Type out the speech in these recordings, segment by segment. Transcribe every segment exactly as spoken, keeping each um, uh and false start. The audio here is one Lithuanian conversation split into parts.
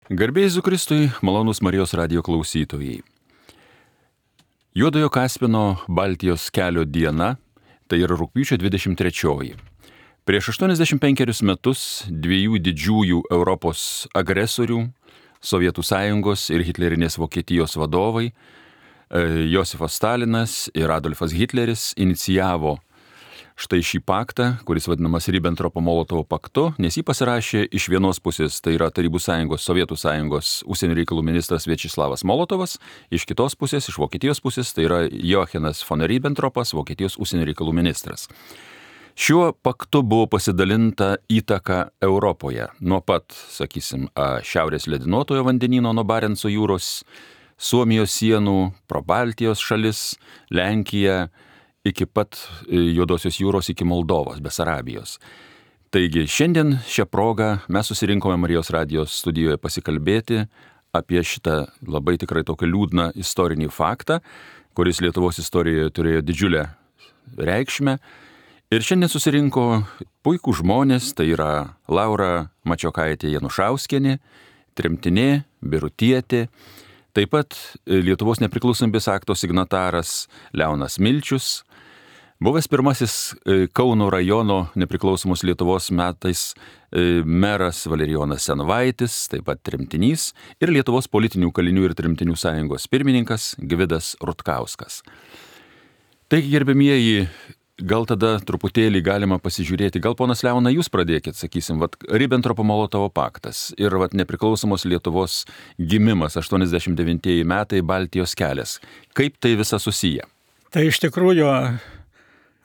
Garbė Jėzui Kristui, malonūs Marijos radijo klausytojai. Juodojo Kaspino Baltijos kelio diena, tai yra rugpjūčio dvidešimt trečioji. Prieš aštuoniasdešimt penkerius metus dviejų didžiųjų Europos agresorių, Sovietų Sąjungos ir hitlerinės Vokietijos vadovai, Josifas Stalinas ir Adolfas Hitleris inicijavo štai šį paktą, kuris vadinamas Ribbentropo-Molotovo paktu, nes jį pasirašė iš vienos pusės, tai yra Tarybų Sąjungos, Sovietų Sąjungos užsienio reikalų ministras Viačeslavas Molotovas, iš kitos pusės, iš Vokietijos pusės, tai yra Joachinas von Ribbentropas, Vokietijos užsienio reikalų ministras. Šiuo paktu buvo pasidalinta įtaka Europoje, nuo pat, sakysim, Šiaurės ledynuotojo vandenyno nuo Barenco jūros, Suomijos sienų, pro Baltijos šalis, Lenkiją, iki pat Juodosios jūros, iki Moldovos, Besarabijos. Taigi šiandien šią progą mes susirinkome Marijos radijos studijoje pasikalbėti apie šitą labai tikrai tokią liūdną istorinį faktą, kuris Lietuvos istorijoje turėjo didžiulę reikšmę. Ir šiandien susirinko puikų žmonės, tai yra Laura Mačiokaitė Janušauskienė, tremtinė, birutietė, taip pat Lietuvos nepriklausomybės akto signataras Leonas Milčius, buvęs pirmasis Kauno rajono nepriklausomos Lietuvos metais meras Valerijonas Senovaitis, taip pat tremtinys, ir Lietuvos politinių kalinių ir tremtinių sąjungos pirmininkas Gvidas Rutkauskas. Taigi, gerbėmieji, gal tada truputėlį galima pasižiūrėti, gal ponas Leona, jūs pradėkit, sakysim, vat, Ribbentropo-Molotovo paktas ir vat, nepriklausomos Lietuvos gimimas, aštuoniasdešimt devintieji metai, Baltijos kelias. Kaip tai visa susiję? Tai iš tikrųjų,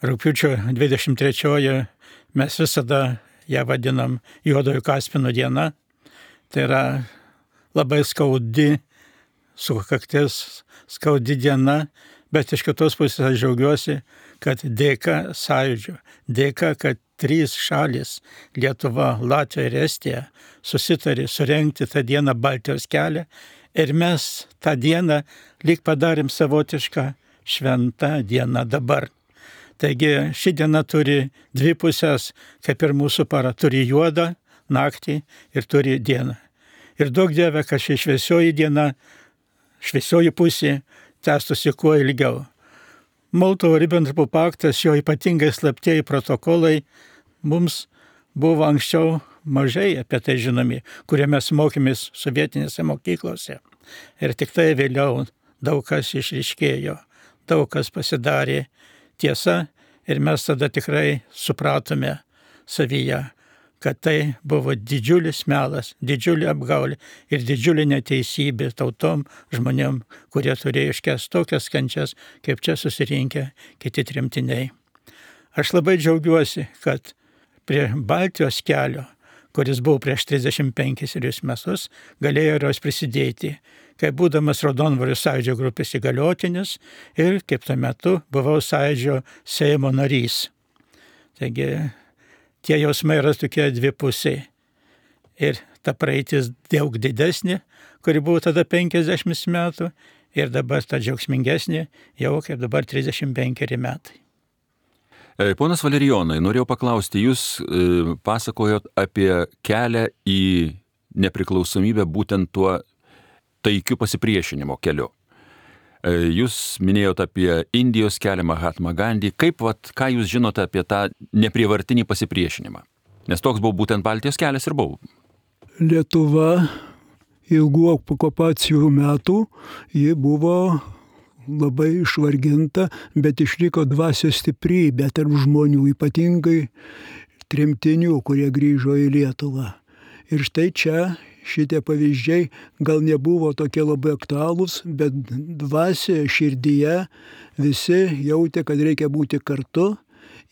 rugpjūčio dvidešimt trečioji mes visada ją vadinam Juodojo Kaspino diena. Tai yra labai skaudi sukaktis, skaudi diena, bet iš kitos pusės aš džiaugiuosi, kad dėka sąjūdžio, dėka, kad trys šalis – Lietuva, Latvija ir Estija – susitarė surengti tą dieną Baltijos kelią ir mes tą dieną lyg padarėm savotišką šventą dieną dabar. Taigi ši diena turi dvi pusės, kaip ir mūsų para, turi juodą naktį ir turi dieną. Ir daug dieve, kad ši šviesioji diena, šviesioji pusė tęstųsi kuo ilgiau. Molotovo-Ribbentropo paktas, jo ypatingai slaptieji protokolai mums buvo anksčiau mažai apie tai žinomi, kurie mes mokėmės sovietinėse mokyklose. Ir tik tai vėliau daug kas išryškėjo, daug kas pasidarė tiesa ir mes tada tikrai supratome savyje, kad tai buvo didžiulis melas, didžiulė apgaulė ir didžiulė neteisybė tautom žmonėm, kurie turėjo iškęsti tokias kančias, kaip čia susirinkę kiti tremtiniai. Aš labai džiaugiuosi, kad prie Baltijos kelio, kuris buvo prieš trisdešimt penkerius metus, galėjo ir jos prisidėti, kaip būdamas Raudondvario sąjūdžio grupės įgaliotinis ir kaip tuo metu buvau sąjūdžio Seimo narys. Taigi tie jausmai yra tokie dvipusiai. Ir ta praeitis daug didesnė, kuri buvo tada penkiasdešimt metų, ir dabar ta džiaugsmingesnė, jau kaip dabar trisdešimt penkeri metai. Ponas Valerijonai, norėjau paklausti, jūs e, pasakojot apie kelią į nepriklausomybę būtent tuo taikiu pasipriešinimo keliu. E, jūs minėjot apie Indijos kelią, Mahatma Gandhi. Kaip, vat, ką jūs žinote apie tą neprievartinį pasipriešinimą? Nes toks buvo būtent Baltijos kelias ir buvo. Lietuva ilgų okupacijų metų, ji buvo labai išvarginta, bet išliko dvasios stiprybė tarp žmonių, ypatingai tremtinių, kurie grįžo į Lietuvą. Ir štai čia šitie pavyzdžiai gal nebuvo tokie labai aktualūs, bet dvasioje, širdyje visi jautė, kad reikia būti kartu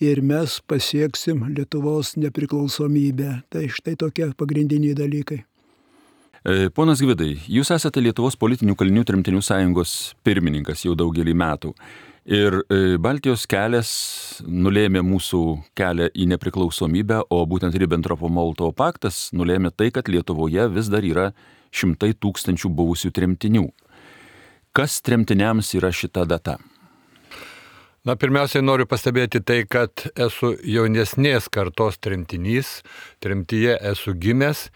ir mes pasieksim Lietuvos nepriklausomybę. Tai štai tokie pagrindiniai dalykai. Ponas Gvidai, jūs esate Lietuvos politinių kalinių tremtinių sąjungos pirmininkas jau daugelį metų. Ir Baltijos kelias nulėmė mūsų kelią į nepriklausomybę, o būtent Ribbentropo-Molotovo paktas nulėmė tai, kad Lietuvoje vis dar yra šimtai tūkstančių buvusių tremtinių. Kas tremtiniams yra šita data? Na, pirmiausiai noriu pastebėti tai, kad esu jaunesnės kartos tremtinys, tremtyje esu gimęs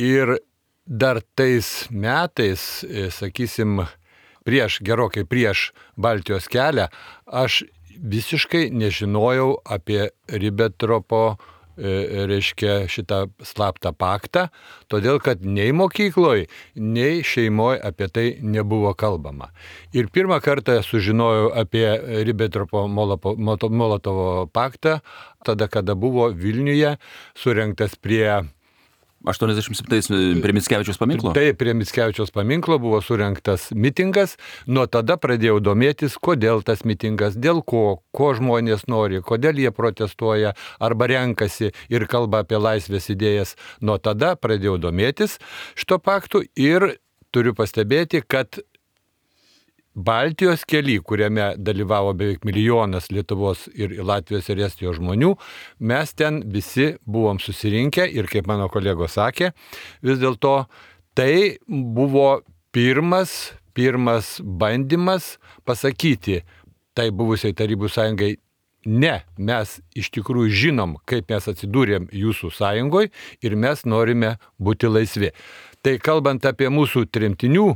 ir dar tais metais, sakysim, prieš, gerokai prieš Baltijos kelią, aš visiškai nežinojau apie Ribentropo, reiškia, šitą slaptą paktą, todėl kad nei mokykloje, nei šeimoje apie tai nebuvo kalbama. Ir pirmą kartą sužinojau apie Ribentropo-Molotovo paktą, tada, kada buvo Vilniuje surengtas prie aštuoniasdešimt septintais prie Mickevičiaus paminklo? Taip, prie Mickevičiaus paminklo buvo surengtas mitingas. Nuo tada pradėjau domėtis, kodėl tas mitingas, dėl ko, ko žmonės nori, kodėl jie protestuoja arba renkasi ir kalba apie laisvės idėjas. Nuo tada pradėjau domėtis šito paktu ir turiu pastebėti, kad Baltijos kely, kuriame dalyvavo beveik milijonas Lietuvos ir Latvijos ir Estijos žmonių, mes ten visi buvom susirinkę ir, kaip mano kolegos sakė, vis dėlto tai buvo pirmas, pirmas bandymas pasakyti tai buvusiai Tarybų sąjungai, ne, mes iš tikrųjų žinom, kaip mes atsidūrėm jūsų sąjungoje ir mes norime būti laisvi. Tai kalbant apie mūsų tremtinių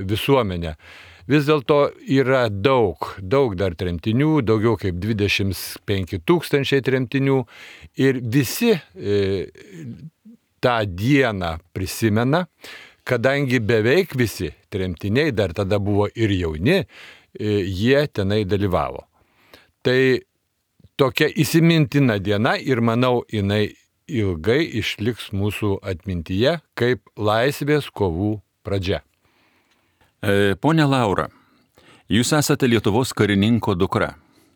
visuomenę, vis dėlto yra daug, daug dar tremtinių, daugiau kaip dvidešimt penki tūkstančiai tremtinių ir visi e, tą dieną prisimena, kadangi beveik visi tremtiniai, dar tada buvo ir jauni, e, jie tenai dalyvavo. Tai tokia įsimintina diena ir manau, jinai ilgai išliks mūsų atmintyje kaip laisvės kovų pradžia. Pone Laura, jūs esate Lietuvos karininko dukra,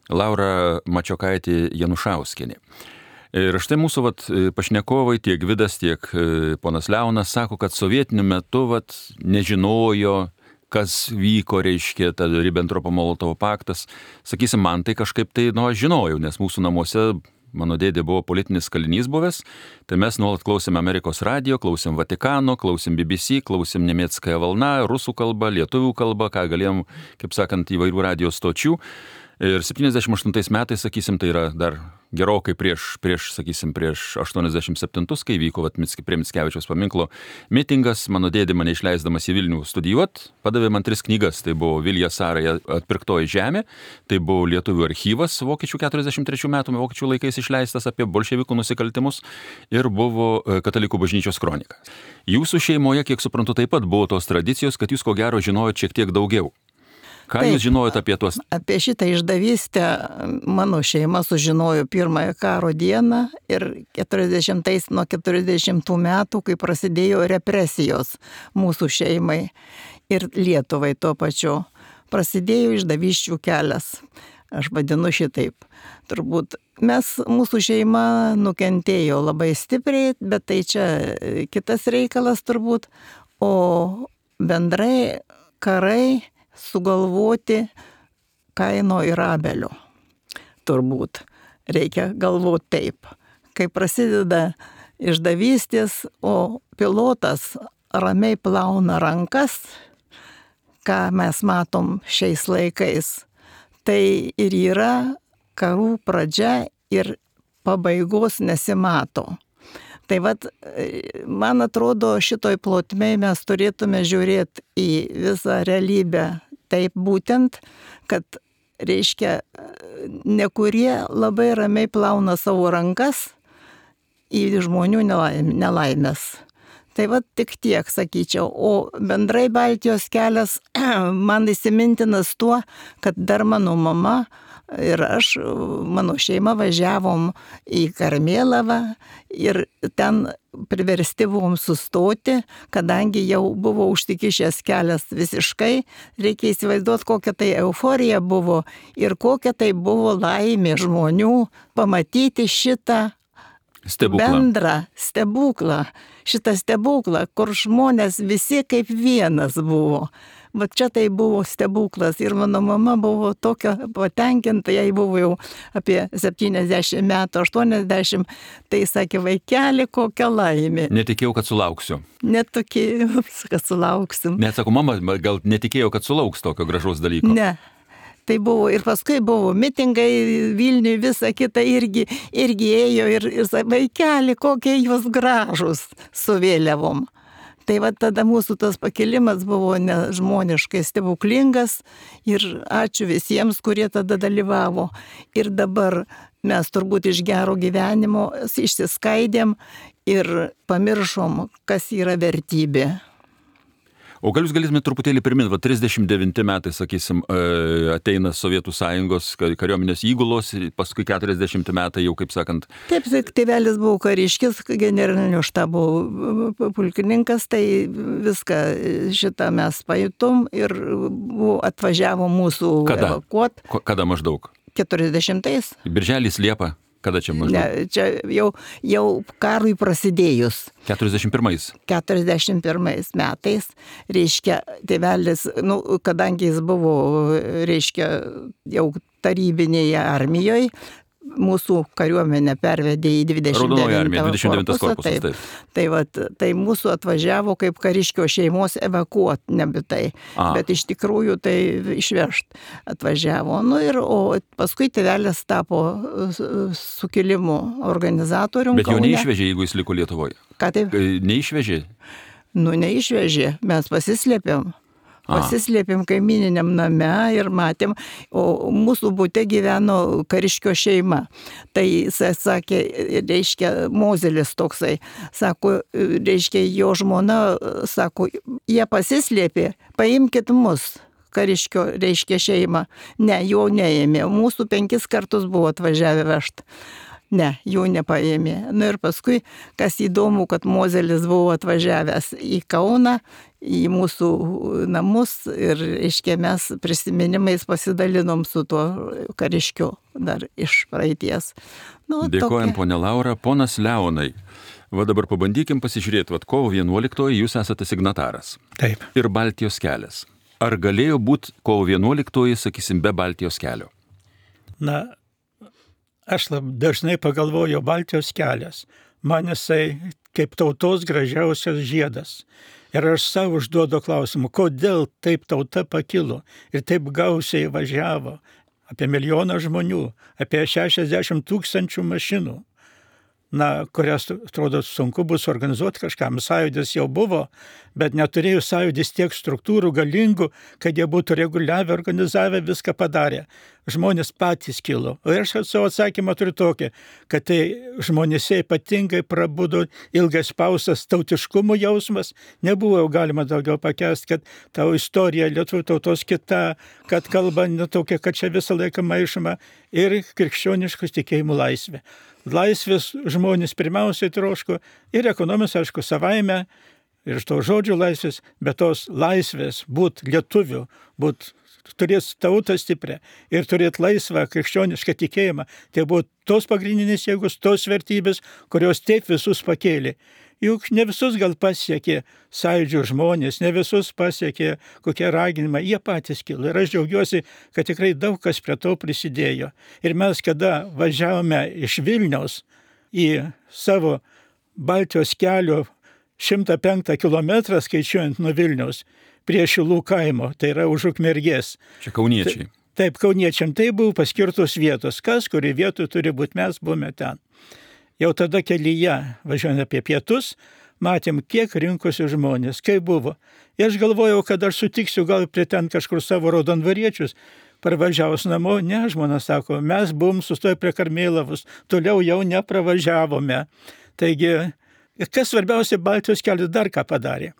Laura Mačiokaitė Janušauskienė. Ir štai mūsų vat, pašnekovai, tiek Vidas, tiek ponas Leonas sako, kad sovietiniu metu vat, nežinojo, kas vyko, reiškia, ta Ribentropo-Molotovo paktas. Sakysim, man tai kažkaip tai, nu, aš žinojau, nes mūsų namuose mano dėdė buvo politinis kalinys buvęs, tai mes nuolat klausėm Amerikos radijo, klausėm Vatikano, klausėm B B C, klausėm Nemėckąją valną, rusų kalbą, lietuvių kalbą, ką galėjom, kaip sakant, įvairių radijos stočių. Ir septyniasdešimt aštuntais metais, sakysim, tai yra dar gerokai prieš, prieš sakysim, prieš aštuoniasdešimt septintus, kai vyko vat, prie Mickevičiaus paminklo mitingas, mano dėdė mane išleisdamas į Vilnių studijuot, padavė man tris knygas. Tai buvo Vilija Sarai Atpirktoji žemė, tai buvo Lietuvių archyvas vokiečių keturiasdešimt trečių metų vokiečių laikais išleistas apie bolševikų nusikaltimus ir buvo Katalikų bažnyčios kronika. Jūsų šeimoje, kiek suprantu, taip pat buvo tos tradicijos, kad jūs ko gero žinojot šiek tiek daugiau. Ką Taip, jūs žinojot apie tuos? Apie šitą išdavystę mano šeima sužinojo pirmąją karo dieną ir keturiasdešimtais nuo keturiasdešimtų metų, kai prasidėjo represijos mūsų šeimai ir Lietuvai tuo pačiu. Prasidėjo išdavysčių kelias. Aš vadinu šitaip. Turbūt mes, mūsų šeima nukentėjo labai stipriai, bet tai čia kitas reikalas turbūt. O bendrai karai sugalvoti Kaino ir Abelio. Turbūt reikia galvoti taip. Kai prasideda išdavystės, o pilotas ramiai plauna rankas, ką mes matom šiais laikais, tai ir yra karų pradžia ir pabaigos nesimato. Tai vat, man atrodo, šitoj plotmėj mes turėtume žiūrėti į visą realybę taip būtent, kad, reiškia, nekurie labai ramiai plauna savo rankas į žmonių nelaimės. Tai vat tik tiek, sakyčiau. O bendrai Baltijos kelias man įsimintinas tuo, kad dar mano mama ir aš, mano šeima važiavom į Karmėlavą ir ten priversti buvom sustoti, kadangi jau buvo užsikišęs kelias visiškai. Reikia įsivaizduoti, kokia tai euforija buvo ir kokia tai buvo laimė žmonių pamatyti šitą stebuklą. Bendrą stebuklą. Šitą stebuklą, kur žmonės visi kaip vienas buvo. Va čia tai buvo stebuklas ir mano mama buvo tokia patenkinta, jai buvo jau apie septyniasdešimt metų, aštuoniasdešimt, tai sakė, vaikeli, kokia laimė. Netikėjau, kad sulauksiu. Netikėjau, kad sulauksim. Net sako, mama, gal netikėjau, kad sulauks tokio gražaus dalyko. Ne. Tai buvo ir paskui buvo mitingai Vilniui, visa kita irgi, irgi ėjo ir, ir vaikeli, kokie jūs gražus su vėliavom. Tai va tada mūsų tas pakilimas buvo nežmoniškai stebuklingas ir ačiū visiems, kurie tada dalyvavo. Ir dabar mes turbūt iš gero gyvenimo išsiskaidėm ir pamiršom, kas yra vertybė. O gal jūs galėtumėte truputėlį priminti, va trisdešimt devinti metai, sakysim, ateina Sovietų Sąjungos kariuomenės įgulos, paskui keturiasdešimti metai jau, kaip sakant. Taip, tėvelis buvo kariškis, generalinio štabo pulkininkas, tai viską šitą mes pajutom ir buvo, atvažiavo mūsų Kada? evakuot. Kada maždaug? keturiasdešimtais. Birželis, Liepa? Kada čia maždaug? Ne, čia jau, jau karui prasidėjus. keturiasdešimt pirmais. keturiasdešimt pirmais metais, reiškia, tėvelis, nu, kadangi jis buvo, reiškia, jau tarybinėje armijoje, mūsų kariuomenę pervedė į dvidešimt devintą korpusą. Taip, taip. Tai, vat, tai mūsų atvažiavo kaip kariškio šeimos evakuot, nebitai. A. Bet iš tikrųjų tai išvežt atvažiavo. Nu ir, o paskui tėvelis tapo sukilimų organizatorium. Bet jau neišvežė, jeigu jis liko Lietuvoje. Ką taip? Neišvežė? Nu, neišvežė. Mes pasislėpėm. Pasislėpėm kaimininiam name ir matėm, o mūsų bute gyveno kariškio šeima. Tai jis sakė, reiškia, Mozelis toksai, sako, reiškia, jo žmona, sako, jie pasislėpė, paimkit mus, kariškio, reiškia, šeimą. Ne, jo neėmė, mūsų penkis kartus buvo atvažiavę vežti. Ne, jų nepaėmė. Nu ir paskui, kas įdomu, kad Mozelis buvo atvažiavęs į Kauną, į mūsų namus ir, reiškia, mes prisiminimais pasidalinom su tuo kariškiu dar iš praeities. Nu, Dėkojam, tokia. ponė Laura. Ponas Leonai, va dabar pabandykim pasižiūrėti, va kovo vienuoliktoji jūs esate signataras. Taip. Ir Baltijos kelias. Ar galėjo būti kovo vienuoliktoji, sakysim, be Baltijos kelio? Na, aš labai dažnai pagalvoju, Baltijos kelias. Man jisai kaip tautos gražiausias žiedas. Ir aš savo užduodu klausimą, kodėl taip tauta pakilo ir taip gausiai važiavo. Apie milijoną žmonių, apie šešiasdešimt tūkstančių mašinų. Na, kurias, atrodo, sunku bus organizuoti kažkam. Sąjūdis jau buvo, bet neturėjo sąjūdis tiek struktūrų galingų, kad jie būtų reguliavę, organizavę, viską padarė. Žmonės patys kilo. O aš savo atsakymą turiu tokį, kad tai žmonėse ypatingai prabudo ilgas pausas tautiškumo jausmas. Nebuvo jau galima daugiau pakęsti, kad tavo istorija lietuvių tautos kita, kad kalba netokia, kad čia visą laiką maišoma ir krikščioniškus tikėjimų laisvė. Laisvės žmonės pirmiausiai troško ir ekonomijos, aišku, savaime, ir iš to žodžių laisvės, bet tos laisvės būt lietuvių, būt turėti tautą stiprią ir turėti laisvą krikščionišką tikėjimą. Tai buvo tos pagrindinės jėgos, tos vertybės, kurios taip visus pakėlė. Juk ne visus gal pasiekė sąjūdžio žmonės, ne visus pasiekė kokie raginimai, jie patys kilo. Ir aš džiaugiuosi, kad tikrai daug kas prie to prisidėjo. Ir mes, kada važiavome iš Vilniaus į savo Baltijos kelio šimtą penktą kilometrą, skaičiuojant nuo Vilniaus, prie Šilų kaimo, tai yra už Ukmergės. Čia kauniečiai. Taip, kauniečiam tai buvo paskirtos vietos. Kas, kuri vietoj turi būti, mes buvome ten. Jau tada kelyje, važiuojant apie pietus, matėm, kiek rinkosi žmonės, kaip buvo. Ir aš galvojau, kad aš sutiksiu gal prie ten kažkur savo raudonvariečius, parvažiavus namo. Ne, žmona sako, mes buvom sustoję prie Karmėlavos, toliau jau nepravažiavome. Taigi, kas svarbiausia, Baltijos kelias dar ką padarė?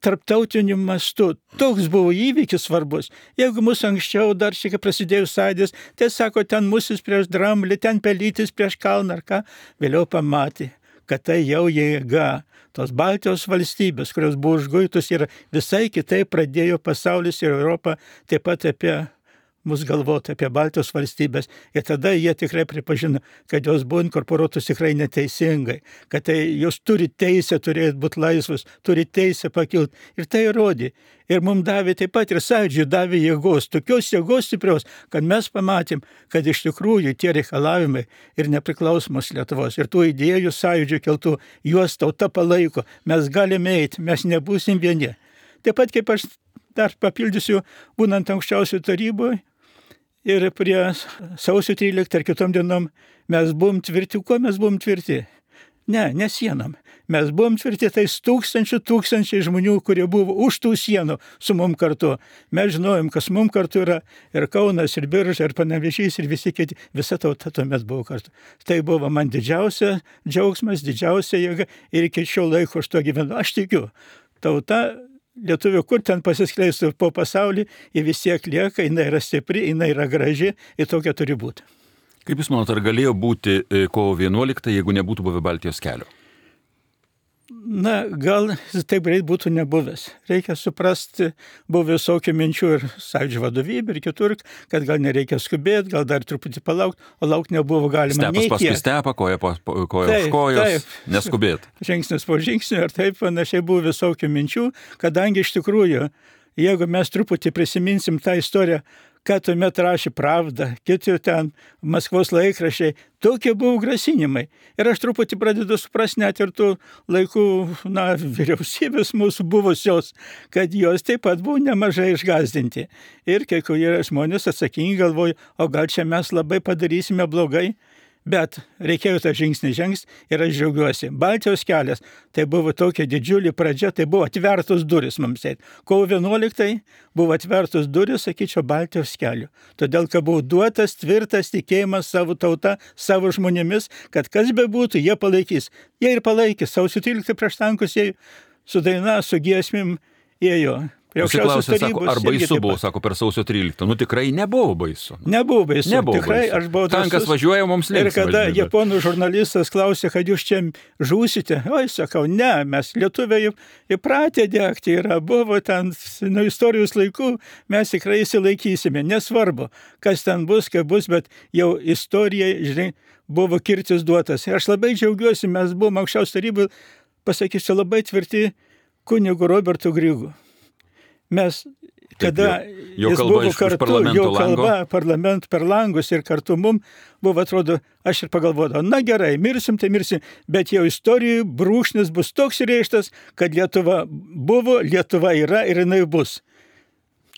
Tarptautiniu mastu. Toks buvo įvykis svarbus. Jeigu mūsų anksčiau dar šiek tiek prasidėjus sąjūdis, tai sako, ten Musis prieš Dramblį, ten Pelytis prieš Kalną ar ką, vėliau pamatė, kad tai jau jėga. Tos Baltijos valstybės, kurios buvo užguitus ir visai kitaip pradėjo pasaulis ir Europą taip pat apie mus galvoti, apie Baltijos valstybės. Ir tada jie tikrai pripažino, kad jos buvo inkorporuotos tikrai neteisingai, kad tai jos turi teisę turėti būti laisvus, turi teisę pakilti. Ir tai įrodė. Ir mums davė taip pat ir sąjūdžiui davė jėgos, tokios jėgos stiprios, kad mes pamatėm, kad iš tikrųjų tie reikalavimai ir nepriklausomos Lietuvos ir tų idėjų sąjūdžių keltų, juos tauta palaiko, mes galime eiti, mes nebūsim vieni. Taip pat kaip aš dar papildysiu, būnant aukščiausių taryboje, ir prie sausio tryliktą ar kitom dienom mes buvom tvirti. Kuo mes buvom tvirti? Ne, ne sienom. Mes buvom tvirti tais tūkstančių, tūkstančiai žmonių, kurie buvo už tų sienų su mum kartu. Mes žinojom, kas mum kartu yra ir Kaunas, ir Birža, ir Panevėžys, ir visi kiti. Visa tauta tuomet buvo kartu. Tai buvo man didžiausia džiaugsmas, didžiausia jėga ir iki šio laiko aš to gyvenu. Aš tikiu, tauta lietuvių, kur ten pasiskleistų po pasaulį, ji vis tiek lieka, jinai yra stipri, jinai yra graži ir tokia turi būti. Kaip Jūs manot, ar galėjo būti kovo vienuolikta, jeigu nebūtų buvę Baltijos kelio? Na, gal taip greit būtų nebuvęs. Reikia suprasti, buvo visokių minčių ir Sąjūdžio vadovybė ir kitur, kad gal nereikia skubėti, gal dar truputį palaukti, o laukti nebuvo galima. Stepas paskui stepą, koja po koja už kojos, neskubėti. Žingsnis po žingsnio ir taip panašiai buvo visokių minčių, kadangi iš tikrųjų, jeigu mes truputį prisiminsim tą istoriją, ką tuomet rašė Pravda, kiti ten Maskvos laikraščiai, tokie buvo grasinimai. Ir aš truputį pradedu suprasti net ir tų laikų, na, vyriausybės mūsų buvusios, kad jos taip pat buvo nemažai išgazdinti. Ir kai kurie žmonės atsakingi galvoja, o gal čia mes labai padarysime blogai. Bet reikėjo tą žingsnį žengti ir aš džiaugiuosi. Baltijos kelias, tai buvo tokia didžiulė pradžia, tai buvo atvertos duris mums. Kovo vienuoliktai buvo atvertos duris, sakyčiau, Baltijos kelių. Todėl, kad buvo duotas tvirtas tikėjimas savo tauta, savo žmonėmis, kad kas bebūtų, jie palaikys. Jie ir palaikys. Sausio tryliktą prieš tankus jie su daina, su giesmėm ėjo. Pasiklausė, sako, ar baisu buvo, sako, per sausio tryliktą. Nu tikrai nebuvo baisu. Nebuvo baisu. Nebuvo tikrai, baisu. Aš buvau Tankas drąsus. važiuoja mums linksma. Ir kada žinai, japonų žurnalistas klausė, kad jūs čia žūsite, oi, sakau, ne, mes lietuviai įpratę degti yra, buvo ten nuo istorijos laikų, mes tikrai įsilaikysime, nesvarbu, kas ten bus, kaip bus, bet jau istorijai, žinai, buvo kirtis duotas. Ir aš labai džiaugiuosi, mes buvom aukščiausios tarybos, pasakysiu, labai tvirti kunigu Robertu Grigu. Mes, kada Taip, jo, jo jis kalba buvo iš- iš kartu, parlamento jo lango. kalba parlament per langus ir kartu mum buvo, atrodo, aš ir pagalvodavau, na gerai, mirsim, tai mirsim, bet jau istorijų brūkšnis bus toks įrėžtas, kad Lietuva buvo, Lietuva yra ir jinai bus.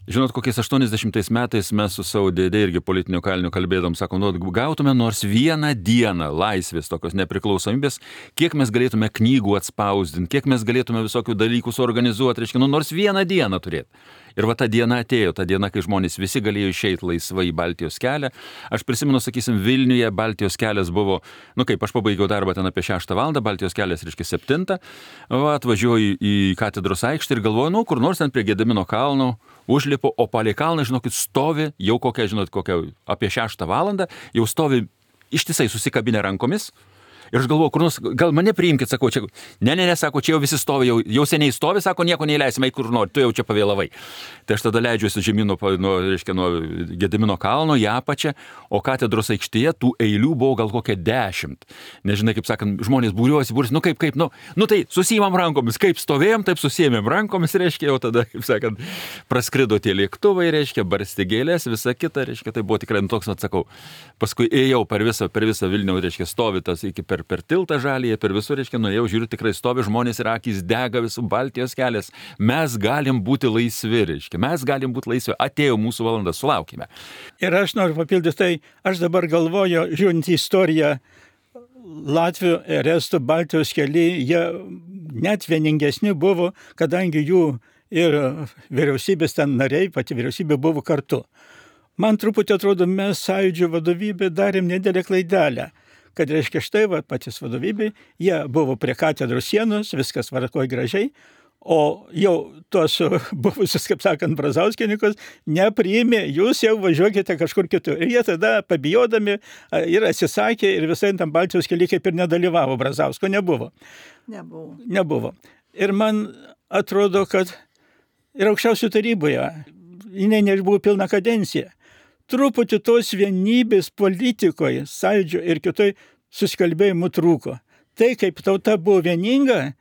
Žinot, kokiais aštuoniasdešimtais metais mes su savo dėdė irgi politiniu kaliniu kalbėdom, sakom, nu, gautume nors vieną dieną laisvės, tokios nepriklausomybės, kiek mes galėtume knygų atspausdinti, kiek mes galėtume visokių dalykų suorganizuoti, reiškia, nu, nors vieną dieną turėti. Ir va ta diena atėjo, ta diena, kai žmonės visi galėjo išeiti laisvai į Baltijos kelią. Aš prisimenu, sakysim, Vilniuje Baltijos kelias buvo, nu kaip, aš pabaigiau darbą ten apie šeštą valandą, Baltijos kelias, reiškia, septintą, va, atvažiuoju į katedros aikštę ir galvoju, nu, kur nors ten prie Gedimino kalno, užlipu, o palei kalną, žinokit, stovi jau kokia, žinot, kokia apie šeštą valandą, jau stovi ištisai susikabinę rankomis. Ir aš galvoju, kur nors, gal mane priimkit, sakau, čia, ne, ne, ne, sako, čia jau visi stovi, jau, jau seniai stovi, sako, nieko neįleisime, kur nori, tu jau čia pavėlavai. Tai aš tada leidžiuosi žemyn nuo, nuo, reiškia, nuo Gedimino kalno į apačią, o katedros aikštėje tų eilių buvo gal kokia dešimt. Nežinai, kaip sakant, žmonės būriuosi, būriuosi, nu kaip, kaip, nu, nu tai susiimam rankomis, kaip stovėjom, taip susiėmėm rankomis, reiškia, jau tada, kaip sakant, praskrido tie lėktuvai, reiškia, barsti gėlės, visa kita, reiškia, tai buvo tikrai, nu, toks, atsakau. Paskui ėjau per visą, per visą Vilnių, reiškia, stovi tas iki per, per tiltą žalėje, per visur, reiškia, nuėjau, žiūriu, tikrai stovi žmonės ir akys dega, visų Baltijos kelias. Mes galim būti laisvi, reiškia, mes galim būti laisvi. Atėjo mūsų valanda, sulaukime. Ir aš noriu papildyti, tai aš dabar galvoju, žiūrint į istoriją, Latvių ir Estų Baltijos keliai, jie net vieningesni buvo, kadangi jų ir vyriausybės ten nariai, pati vyriausybė buvo kartu. Man truputį atrodo, mes Sąjūdžio vadovybė darėm nedėlę klaidelę, kad reiškia štai, va, patys vadovybė, jie buvo prie katedros sienos, viskas varkoj gražiai, o jau tuos buvusius, kaip sakant, Brazauskininkus nepriėmė, jūs jau važiuokite kažkur kitur. Ir jie tada pabijodami ir atsisakė ir visai tam Baltijos kely kaip ir nedalyvavo, Brazausko nebuvo. Nebuvo. Nebuvo. Ir man atrodo, kad ir aukščiausių taryboje, jinai nebuvo pilna kadencija. Truputį tos vienybės politikoje, Sąjūdžio ir kitoj susikalbėjimų trūko. Tai, kaip tauta buvo vieninga,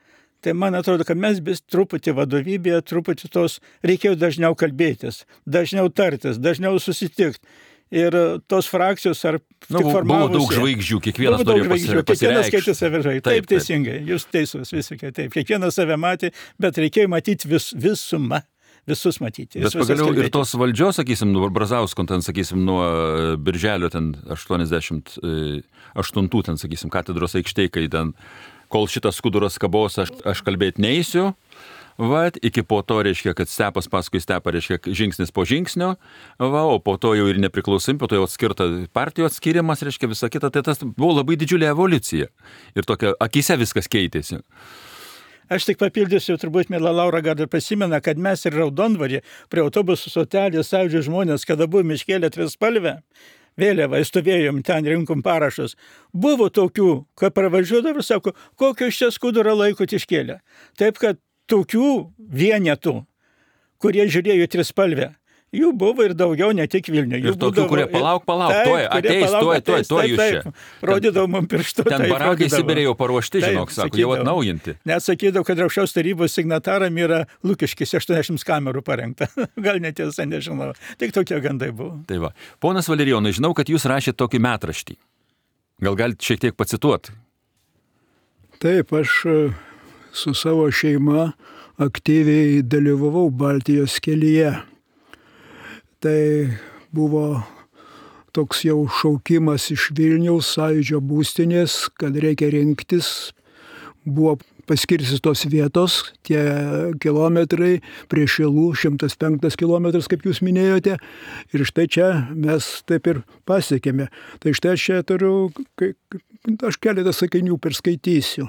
tai man atrodo, kad mes vis truputį vadovybėje, truputį tos reikėjo dažniau kalbėtis, dažniau tartis, dažniau susitikti. Ir tos frakcijos ar Nu, tik buvo formavosi. daug žvaigždžių, kiekvienas Buvo daug norėjo žvaigždžių, pasi- kiekvienas pasireikšti. skaitė save žai. Taip, Taip, taip, taip. teisingai, jūs teisus visiškai taip. Kiekvienas save matė, bet reikėjo matyti vis, visumą, visus matyti. Bet visus pagaliau ir atkalbėti. tos valdžios, sakysim, nuo Brazausko, ten, sakysim, nuo birželio ten aštuoniasdešimt aštuntų, ten, sakysim, katedros aikštėj, kai ten kol šitas skuduras kabos, aš, aš kalbėti neįsiu. Vat, iki po to, reiškia, kad stepas paskui stepą, reiškia, žingsnis po žingsnio, va, o po to jau ir nepriklausom, po to jau atskirta partijų atskirimas, reiškia, visa kita, tai tas buvo labai didžiulė evoliucija. Ir tokia akise viskas keitėsi. Aš tik papildysiu, turbūt mėla Laura gal ir prisimena, kad mes ir Raudondvarį prie autobusų stotelės Sąjūdžio žmonės, kada buvome iškėlę trispalvę vėliavą, stovėjom ten, rinkom parašus. Buvo tokių, kad pravažiuodavo ir sako, kokio iš čia skudurą laikot iškėlę. Taip, kad tokių vienetų, kurie žiūrėjo trispalvę, jų buvo ir daugiau, ne tik Vilniuje. Ir tokių, būdavo, kurie palauk, palauk, taip, tuoj, ateis, tuoj, tuoj, tuoj jūs čia. Rodydavo mums pirštu. Ten barakai Sibirė jau paruošti, žinok, sako, jau atnaujinti. Net sakydavo, kad aukščiausios tarybos signataram yra Lukiškis aštuoniasdešimt kamerų parengta. Gal netiesa, nežinau. Tik tokie gandai buvo. Tai va. Ponas Valerijonai, žinau, kad jūs rašėte tokį metraštį. Gal galite šiek tiek pacituoti? Taip, aš su savo šeima aktyviai dalyvavau Baltijos kelyje. Tai buvo toks jau šaukimas iš Vilniaus Sąjūdžio būstinės, kad reikia rinktis. Buvo paskirstytos vietos, tie kilometrai prie Šilų, šimtas penktas kilometras, kaip jūs minėjote. Ir štai čia mes taip ir pasiekėme. Tai štai čia turiu, aš keletą sakinių perskaitysiu.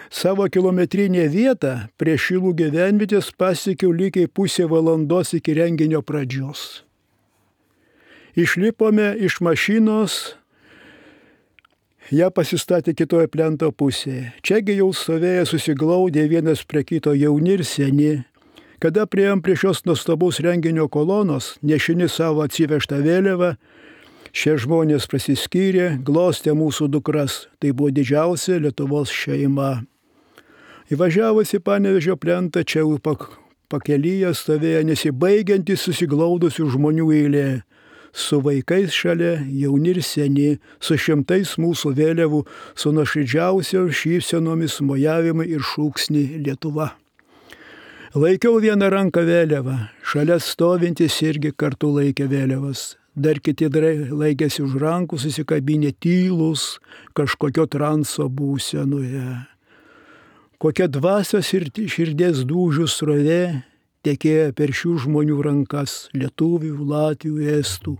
Savo kilometrinę vietą prie Šilų gyvenvietės pasiekiau lygiai pusė valandos iki renginio pradžios. Išlipome iš mašinos, ją pasistatė kitoje plento pusėje. Čiagi jau stovėjo susiglaudę vienas prie kito jauni ir seni. Kada priėjom prie šios nuostabaus renginio kolonos, nešini savo atsivežtą vėliavą, šie žmonės prasiskyrė, glostė mūsų dukras. Tai buvo didžiausia Lietuvos šeima. Įvažiavus į Panevėžio plentą, čia jau pakelyje stovėjo nesibaigiantis susiglaudusių žmonių eilė. Su vaikais šalia, jauni ir seni, su šimtais mūsų vėliavų, su nuoširdžiausio šypsenomis mojavimai ir šūksni Lietuva. Laikiau vieną ranką vėliavą, šalia stovintis irgi kartu laikė vėliavas. Dar kiti laikėsi už rankų susikabinę tylus kažkokio transo būsenoje. Kokia dvasios ir širdies dūžių srovė tekėjo per šių žmonių rankas, lietuvių, latvių, estų.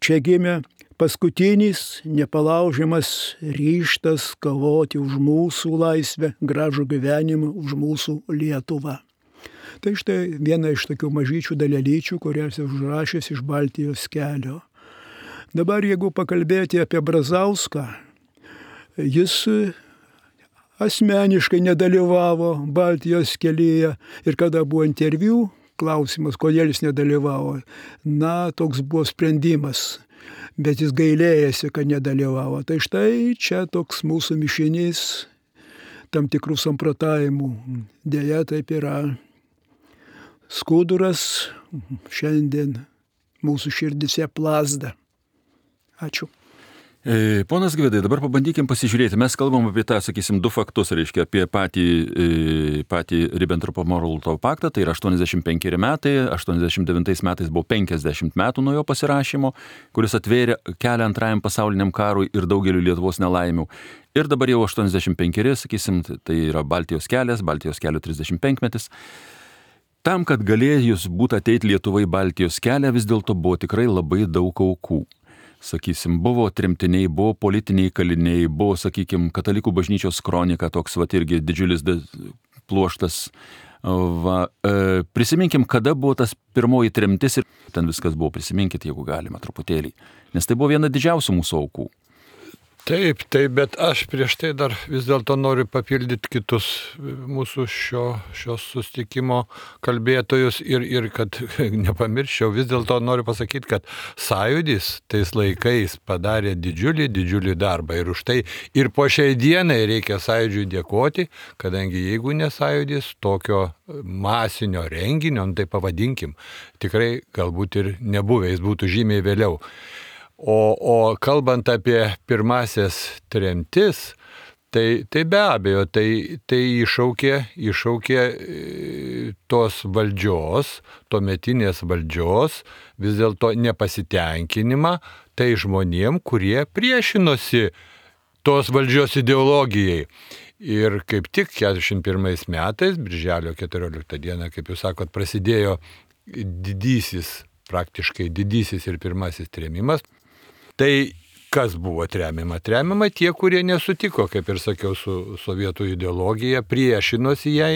Čia gimė paskutinis nepalaužiamas ryžtas kovoti už mūsų laisvę, gražų gyvenimą, už mūsų Lietuvą. Tai štai viena iš tokių mažyčių dalelyčių, kurias užrašęs iš Baltijos kelio. Dabar jeigu pakalbėti apie Brazauską, jis asmeniškai nedalyvavo Baltijos kelyje ir kada buvo interviu, klausimas, kodėl jis nedalyvavo, na, toks buvo sprendimas, bet jis gailėjasi, kad nedalyvavo. Tai štai čia toks mūsų mišinys tam tikrų samprotavimų. Deja, taip yra. Skuduras šiandien mūsų širdise plazda. Ačiū. E, ponas Gvidai, dabar pabandykim pasižiūrėti. Mes kalbam apie tą, sakysim, du faktus, reiškia, apie patį, e, patį Ribbentropo-Molotovo paktą, tai yra aštuoniasdešimt penkeri metai, aštuoniasdešimt devintais metais buvo penkiasdešimt metų nuo jo pasirašymo, kuris atvėrė kelią antrajam pasauliniam karui ir daugeliu Lietuvos nelaimių. Ir dabar jau aštuoniasdešimt penkeri, sakysim, tai yra Baltijos kelias, Baltijos kelio trisdešimt penkmetis. Tam, kad galėjus būti ateiti Lietuvai Baltijos kelią, vis dėlto buvo tikrai labai daug aukų. Sakysim, buvo tremtiniai, buvo politiniai kaliniai, buvo, sakykim, katalikų bažnyčios kronika, toks va irgi didžiulis pluoštas. Va, e, prisiminkim, kada buvo tas pirmoji tremtis ir ten viskas buvo, prisiminkit, jeigu galima, truputėlį. Nes tai buvo viena didžiausių mūsų aukų. Taip, taip, bet aš prieš tai dar vis dėlto noriu papildyti kitus mūsų šio, šios susitikimo kalbėtojus ir, ir kad nepamirščiau, vis dėlto noriu pasakyti, kad sąjūdis tais laikais padarė didžiulį, didžiulį darbą ir už tai ir po šiai dienai reikia sąjūdžiui dėkoti, kadangi jeigu ne sąjūdis, tokio masinio renginio, tai pavadinkim, tikrai galbūt ir nebuvę, jis būtų žymiai vėliau. O, o kalbant apie pirmasias tremtis, tai, tai be abejo, tai, tai iššaukė, iššaukė tos valdžios, tuometinės valdžios, vis dėlto nepasitenkinimą tai žmonėm, kurie priešinosi tos valdžios ideologijai. Ir kaip tik keturiasdešimt pirmais metais, birželio keturioliktą dieną, kaip jūs sakot, prasidėjo didysis, praktiškai didysis ir pirmasis trėmimas. Tai kas buvo tremiama? Tremiama tie, kurie nesutiko, kaip ir sakiau, su sovietų ideologija, priešinosi jai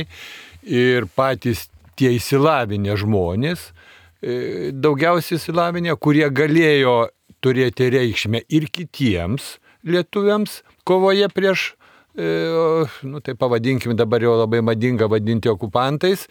ir patys tie įsilavinę žmonės, daugiausiai įsilavinę, kurie galėjo turėti reikšmę ir kitiems lietuviams kovoje prieš, nu tai pavadinkim dabar jau labai madinga vadinti okupantais,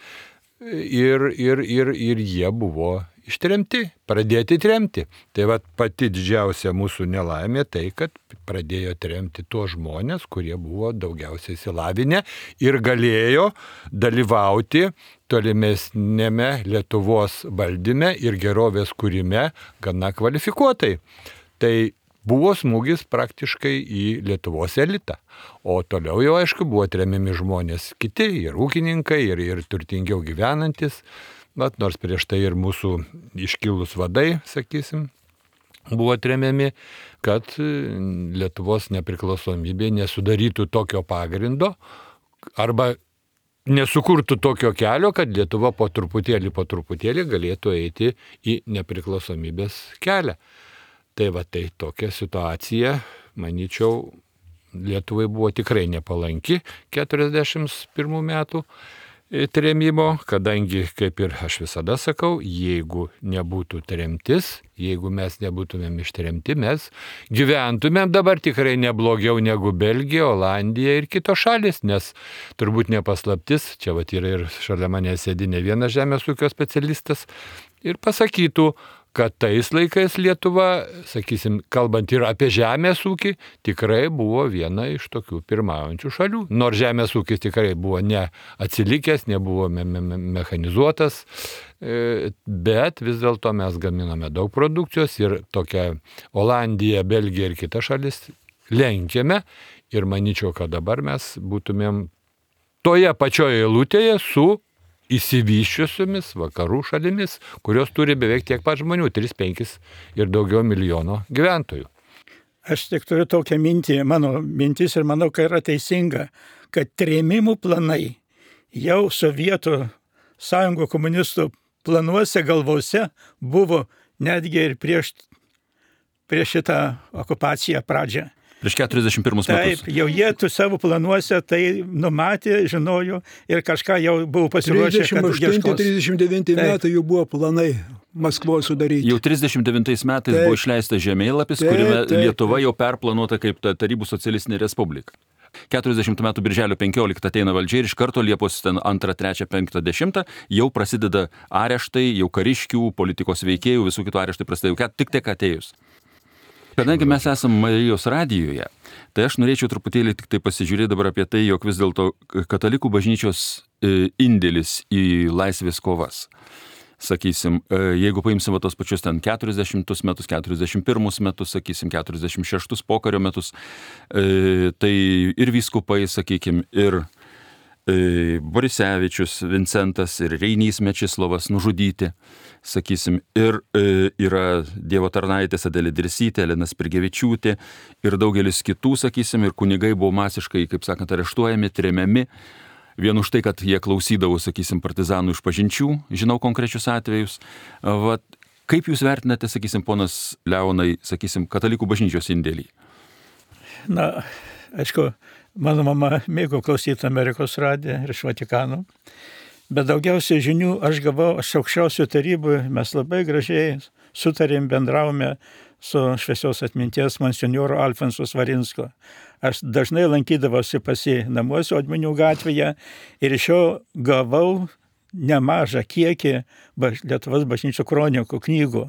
ir, ir, ir, ir jie buvo ištremti, pradėti tremti. Tai va pati didžiausia mūsų nelaimė tai, kad pradėjo tremti tuos žmonės, kurie buvo daugiausiai įsilavinę ir galėjo dalyvauti tolimesnėme Lietuvos valdyme ir gerovės kūrime gana kvalifikuotai. Tai buvo smūgis praktiškai į Lietuvos elitą. O toliau jau, aišku, buvo tremiami žmonės kiti, ir ūkininkai, ir, ir turtingiau gyvenantis. Vat, nors prieš tai ir mūsų iškilus vadai, sakysim, buvo tremiami, kad Lietuvos nepriklausomybė nesudarytų tokio pagrindo arba nesukurtų tokio kelio, kad Lietuva po truputėlį, po truputėlį galėtų eiti į nepriklausomybės kelią. Tai va tai tokia situacija, manyčiau, Lietuvai buvo tikrai nepalanki keturiasdešimt pirmų metų trėmimo, kadangi, kaip ir aš visada sakau, jeigu nebūtų tremtis, jeigu mes nebūtumėm ištremti, mes gyventumėm dabar tikrai neblogiau negu Belgija, Olandija ir kitos šalis, nes turbūt nepaslaptis, čia vat yra ir šalia manęs sėdi ne vienas žemės ūkio specialistas, ir pasakytų, kad tais laikais Lietuva, sakysim, kalbant ir apie žemės ūkį, tikrai buvo viena iš tokių pirmaujančių šalių. Nors žemės ūkis tikrai buvo neatsilikęs, nebuvo me- me- mechanizuotas, bet vis dėlto mes gaminame daug produkcijos ir tokia Olandija, Belgija ir kitas šalis lenkėme ir manyčiau, kad dabar mes būtumėm toje pačioje eilutėje su įsivyščiusiomis vakarų šalimis, kurios turi beveik tiek pat žmonių, tris penkis ir daugiau milijono gyventojų. Aš tik turiu tokią mintį, mano mintis ir manau, kad yra teisinga, kad trėmimų planai jau Sovietų sąjungų komunistų planuose, galvose buvo netgi ir prieš, prieš šitą okupaciją pradžią. Prieš keturiasdešimt pirmus metus. Taip, jau jie tu savo planuose tai numatė, žinojo ir kažką jau buvo pasiruošę, kad trisdešimt aštunti trisdešimt devinti metai jau buvo planai Maskvos sudaryti. Jau trisdešimt devintais metais Taip. buvo išleistas žemėlapis, Taip, kuriame taip, Lietuva taip. jau perplanuota kaip ta Tarybų socialistinė respublika. keturiasdešimt metų birželio penkioliktą ateina valdžia ir iš karto Liepos antrą, trečią, penktą, dešimtą jau prasideda areštai, jau kariškių, politikos veikėjų, visų kitų areštai prasideda jau tik tiek atėjus. Kadangi mes esame Marijos radijoje, tai aš norėčiau truputėlį tik tai pasižiūrėti dabar apie tai, jog vis dėlto katalikų bažnyčios indėlis į laisvės kovas. Sakysim, jeigu paimsim tos pačius ten keturiasdešimtus metus, keturiasdešimt pirmus metus, sakysim, keturiasdešimt šeštus pokario metus, tai ir vyskupai, sakykim, ir Borisevičius, Vincentas ir Reinys Mečislovas nužudyti, sakysim, ir e, yra Dievo tarnaitės Adelė Dirsytė, Elena Spirgevičiūtė ir daugelis kitų, sakysim, ir kunigai buvo masiškai, kaip sakant, areštuojami, tremiami. Vien už tai, kad jie klausydavo, sakysim, partizanų išpažinčių, žinau konkrečius atvejus. Vat, kaip jūs vertinate, sakysim, ponas Leonai, sakysim, katalikų bažnyčios indėlį? Na, aišku, mano mama mėgo klausyti Amerikos radiją ir iš Vatikano, bet daugiausiai žinių aš gavau iš aukščiausių tarybų, mes labai gražiai sutarėm, bendravome su šviesios atminties monsinjoru Alfonsu Svarinsko. Aš dažnai lankydavausi pas jį namuose Odminių gatvėje ir iš jo gavau nemažą kiekį baž... Lietuvos bažnyčių kronikų knygų,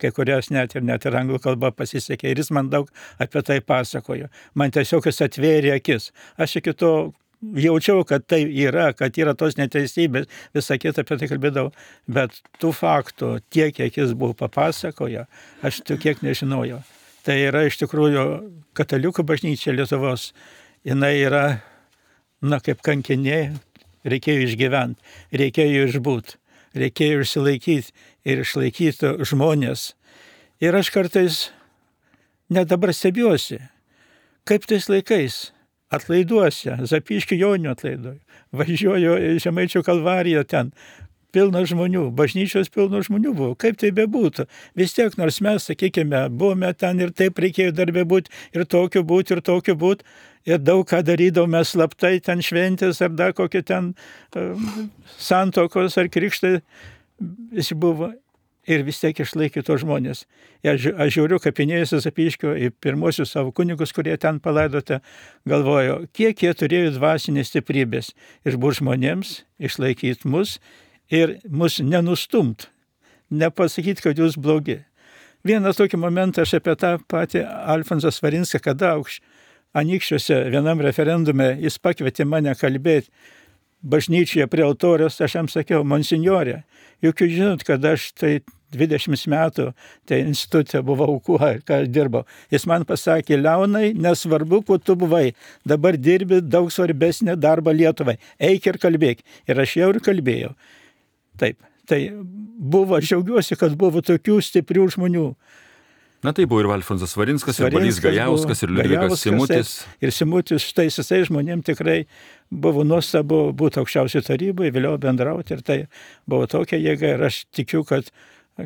kai kurias net ir net ir anglų kalba pasisekė ir jis man daug apie tai pasakojo. Man tiesiog jis atvėrė akis. Aš iki to jaučiau, kad tai yra, kad yra tos neteisybės, visą kitą apie tai kalbėdavau, bet tų faktų tiek, kiek jis buvo papasakojo, aš tų kiek nežinojau. Tai yra iš tikrųjų katalikų bažnyčia Lietuvos, jinai yra, na, kaip kankinė, reikėjo išgyventi, reikėjo išbūt, reikėjo išsilaikyti ir išlaikyti žmonės. Ir aš kartais net dabar stebiuosi, kaip tais laikais atlaiduose, Zapyškio Joninių atlaidoje, važiuoju į Žemaičių Kalvariją ten, pilna žmonių, bažnyčios pilno žmonių buvo, kaip tai bebūtų. Vis tiek, nors mes, sakykime, buvome ten ir taip reikėjo darbė būti, ir tokiu būti, ir tokiu būti, ir daug ką darydavome slaptai, ten šventės, ar dar kokie ten um, santokos, ar krikštai, visi buvo. Ir vis tiek išlaikė tos žmonės. Aš, aš žiūriu kapinėjose Zapyškio į pirmosius savo kunigus, kurie ten palaidote, galvoju, kiek jie turėjo dvasinės stiprybės išbūt žmonėms, išlaikyti mus ir mus nenustumt, nepasakyti, kad jūs blogi. Vieną tokį momentą aš apie tą patį Alfonsą Svarinską, kada aukš Anykščiuose vienam referendume jis pakvietė mane kalbėti bažnyčioje prie altoriaus, aš jam sakiau, monsinjorė, juk jūs žinot, kad aš tai dvidešimt metų tai institute buvau, kuo, ką dirbau. Jis man pasakė, Leonai, nesvarbu, kuo tu buvai, dabar dirbi daug svarbesnį darbą Lietuvai, eik ir kalbėk. Ir aš jau ir kalbėjau. Taip, tai buvo, aš džiaugiuosi, kad buvo tokių stiprių žmonių. Na tai buvo ir Alfonsas Svarinskas, ir Balys Gajauskas, ir Liudvikas Simutis. Ir Simutis, štai visai žmonėm tikrai buvo nuostabu būti aukščiausiai tarybai, vėliau bendrauti, ir tai buvo tokia jėga, ir aš tikiu, kad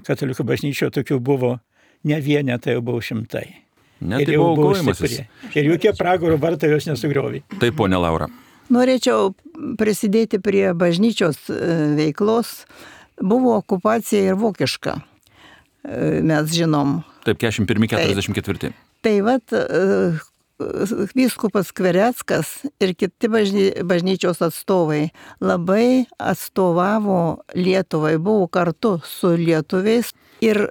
katalikų bažnyčioje tokių buvo ne vienetai, jau buvo šimtai. Ne, tai buvo aukojimasis. Ir jokie pragaro vartai jos nesugriovė. Taip, ponė Laura. Norėčiau prisidėti prie bažnyčios veiklos. Buvo okupacija ir vokiška, mes žinom. Taip, keturiasdešimt pirmi keturiasdešimt ketvirti. Tai vat vyskupas Skvereckas ir kiti bažny, bažnyčios atstovai labai atstovavo Lietuvai, buvo kartu su lietuviais ir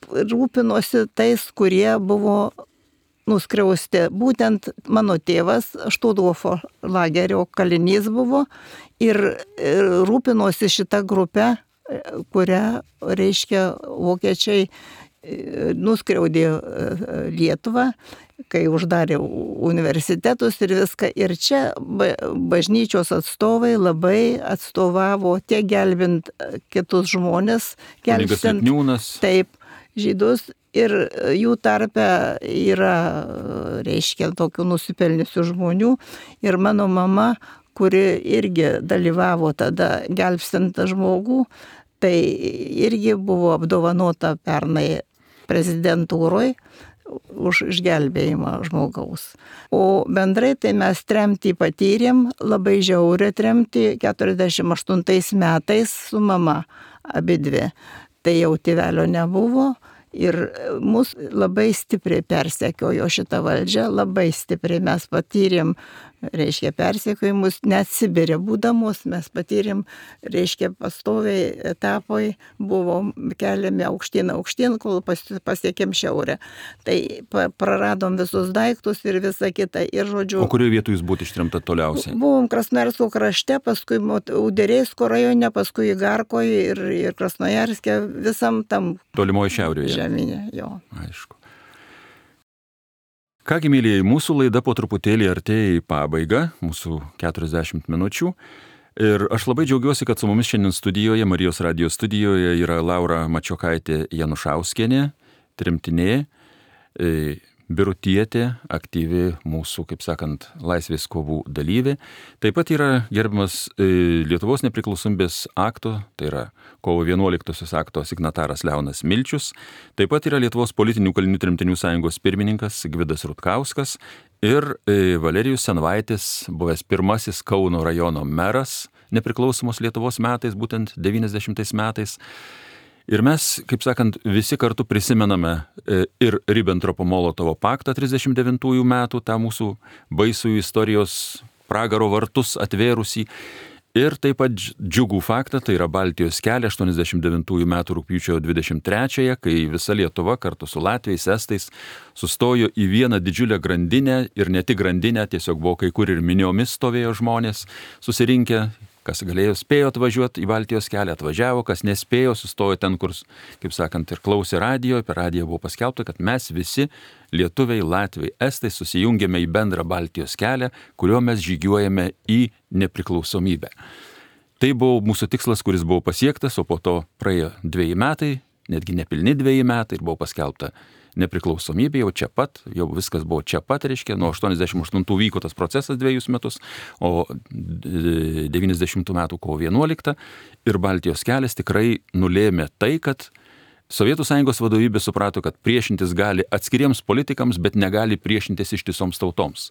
rūpinosi tais, kurie buvo nuskriausti. Būtent mano tėvas Štuthofo lagerio kalinys buvo ir rūpinosi šitą grupę, kurią, reiškia, vokiečiai nuskriaudė Lietuvą, kai uždarė universitetus ir viską. Ir čia bažnyčios atstovai labai atstovavo tiek gelbint kitus žmonės, gelbstint taip žydus, ir jų tarpe yra, reiškia, tokių nusipelniusių žmonių. Ir mano mama, kuri irgi dalyvavo tada gelbstint žmogų, tai irgi buvo apdovanota pernai prezidentūroje už išgelbėjimą žmogaus. O bendrai tai mes tremtį patyrėm, labai žiaurę tremtį keturiasdešimt aštuntais metais su mama abidvi. Tai jau tėvelio nebuvo ir mus labai stipriai persekiojo šitą valdžią, labai stipriai mes patyrėm, reiškia, persekiojimus, net Sibire būdamos mes patyrėm, reiškia, pastoviai etapai buvo keliami aukštyn aukštyn, kol pasiekėm šiaurę. Tai praradom visus daiktus ir visą kitą. Ir, žodžiu, o kurioje vietoje jūs būtų ištremta toliausiai? Buvom Krasnojarsko krašte, paskui Uderėsko rajone, paskui Igarkoje ir, ir Krasnojarske, visam tam tolimoje šiaurėje. Žemynė, jo. Aišku. Kągi, mėlyjei, mūsų laida po truputėlį artėja į pabaigą, mūsų keturiasdešimt minučių. Ir aš labai džiaugiuosi, kad su mumis šiandien studijoje, Marijos radijo studijoje, yra Laura Mačiokaitė Janušauskienė, tremtinė, birutietė, aktyvi mūsų, kaip sakant, laisvės kovų dalyvė. Taip pat yra gerbiamas Lietuvos nepriklausomybės akto, tai yra kovo vienuoliktosios akto signataras Leonas Milčius. Taip pat yra Lietuvos politinių kalinių tremtinių sąjungos pirmininkas Gvidas Rutkauskas ir Valerijus Senvaitis, buvęs pirmasis Kauno rajono meras nepriklausomos Lietuvos metais, būtent devyniasdešimtais metais. Ir mes, kaip sakant, visi kartu prisimename ir Ribbentropo-Molotovo paktą trisdešimt devintųjų metų, tą mūsų baisųjų istorijos pragaro vartus atvėrusį. Ir taip pat džiugų faktą, tai yra Baltijos kelią aštuoniasdešimt devintųjų metų rugpjūčio dvidešimt trečiąją, kai visa Lietuva kartu su Latviais, Estais sustojo į vieną didžiulę grandinę, ir ne tik grandinę, tiesiog buvo kai kur ir miniomis stovėjo žmonės susirinkę. Kas galėjo, spėjo atvažiuoti į Baltijos kelią, atvažiavo, kas nespėjo, sustojo ten, kur, kaip sakant, ir klausė radijo, per radiją buvo paskelbta, kad mes visi, lietuviai, latviai, estai, susijungėme į bendrą Baltijos kelią, kuriuo mes žygiuojame į nepriklausomybę. Tai buvo mūsų tikslas, kuris buvo pasiektas, o po to praėjo dviejai metai, netgi nepilni dviejai metai, ir buvo paskelbta nepriklausomybė jau čia pat, jau viskas buvo čia pat, reiškia, nuo aštuoniasdešimt aštuntų vyko tas procesas dviejus metus, o devyniasdešimtų metų kovo vienuoliktą ir Baltijos kelias tikrai nulėmė tai, kad Sovietų Sąjungos vadovybė suprato, kad priešintis gali atskiriems politikams, bet negali priešintis ištisoms tautoms.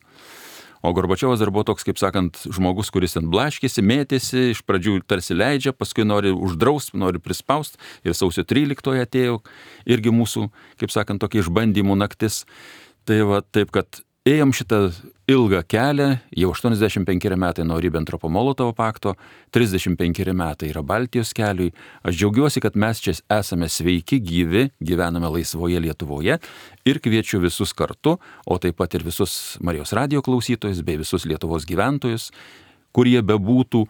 O Gorbačiovas dar buvo toks, kaip sakant, žmogus, kuris ten blaškėsi, mėtėsi, iš pradžių tarsi leidžia, paskui nori uždrausti, nori prispaust. Ir sausio tryliktoje atėjo irgi mūsų, kaip sakant, tokia išbandymų naktis. Tai va taip, kad ėjom šitą ilgą kelią, jau aštuoniasdešimt penkeri metai nuo Ribentropo-Molotovo pakto, trisdešimt penkeri metai yra Baltijos keliui. Aš džiaugiuosi, kad mes čia esame sveiki, gyvi, gyvename laisvoje Lietuvoje ir kviečiu visus kartu, o taip pat ir visus Marijos radijo klausytojus bei visus Lietuvos gyventojus, kurie bebūtų,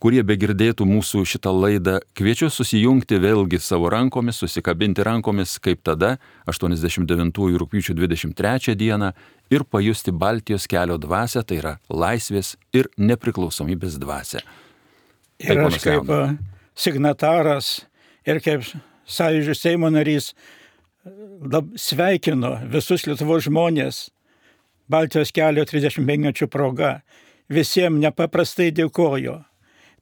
kurie begirdėtų mūsų šitą laidą, kviečiu susijungti vėlgi savo rankomis, susikabinti rankomis, kaip tada, aštuoniasdešimt devintųjų rugpjūčio dvidešimt trečią dieną ir pajusti Baltijos kelio dvasią, tai yra laisvės ir nepriklausomybės dvasią. Ir aš kaip signataras ir kaip Sąjūdžio Seimo narys sveikinu visus Lietuvos žmonės Baltijos kelio trisdešimt penkmečių proga. Visiems nepaprastai dėkoju.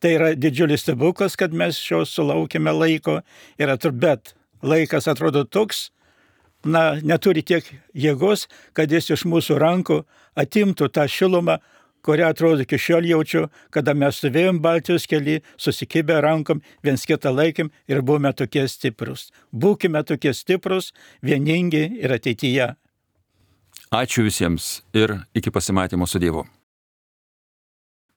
Tai yra didžiulis stebuklas, kad mes šios sulaukėme laiko, ir atr... bet laikas atrodo toks, na, neturi tiek jėgos, kad jis iš mūsų rankų atimtų tą šilumą, kurią atrodo iki šiol jaučiu, kada mes stovėjom Baltijos kely, susikibę rankom, viens kitą laikėm ir buvome tokie stiprus. Būkime tokie stiprus, vieningi ir ateityje. Ačiū visiems ir iki pasimatymo su Dievu.